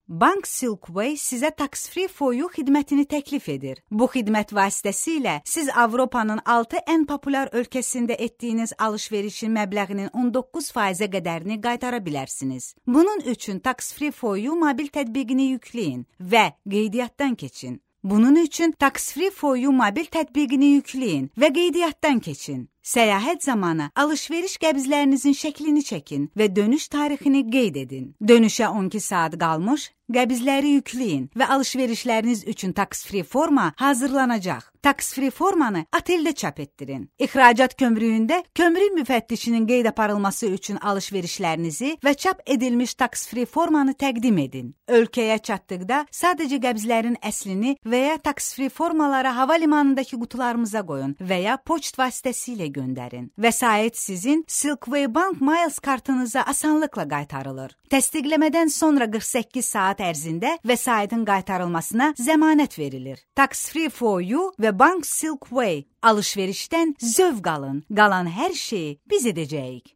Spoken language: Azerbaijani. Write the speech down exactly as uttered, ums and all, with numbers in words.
Bank Silkway sizə Tax Free for You xidmətini təklif edir. Bu xidmət vasitəsilə siz Avropanın altı ən populyar ölkəsində etdiyiniz alış-verişin məbləğinin on doqquz faizə qədərini qaytara bilərsiniz. Bunun üçün Tax Free for You mobil tətbiqini yükləyin və qeydiyyatdan keçin. Bunun üçün Tax Free for You mobil tətbiqini yükləyin və qeydiyyatdan keçin. Səyahət zamanı alış-veriş qəbzlərinizin şəklini çəkin və dönüş tarixini qeyd edin. Dönüşə on iki saat qalmış, qəbzləri yükləyin və alış-verişləriniz üçün Tax Free forma hazırlanacaq. Tax Free formanı oteldə çap etdirin. İxracat kömrüyündə kömrük müfəttişinin qeyd aparılması üçün alış-verişlərinizi və çap edilmiş Tax Free formanı təqdim edin. Ölkəyə çatdıqda sadəcə qəbzlərin əslini və ya Tax Free formaları hava limanındakı qutularımıza qoyun və ya poçt vasitəsilə göndərin. Vəsait sizin Silkway Bank Miles kartınıza asanlıqla qaytarılır. Təsdiqləmədən sonra qırx səkkiz saat ərzində vəsaitin qaytarılmasına zəmanət verilir. Tax Free for You və Bank Silkway alış-verişdən zövq alın. Qalan hər şeyi biz edəcəyik.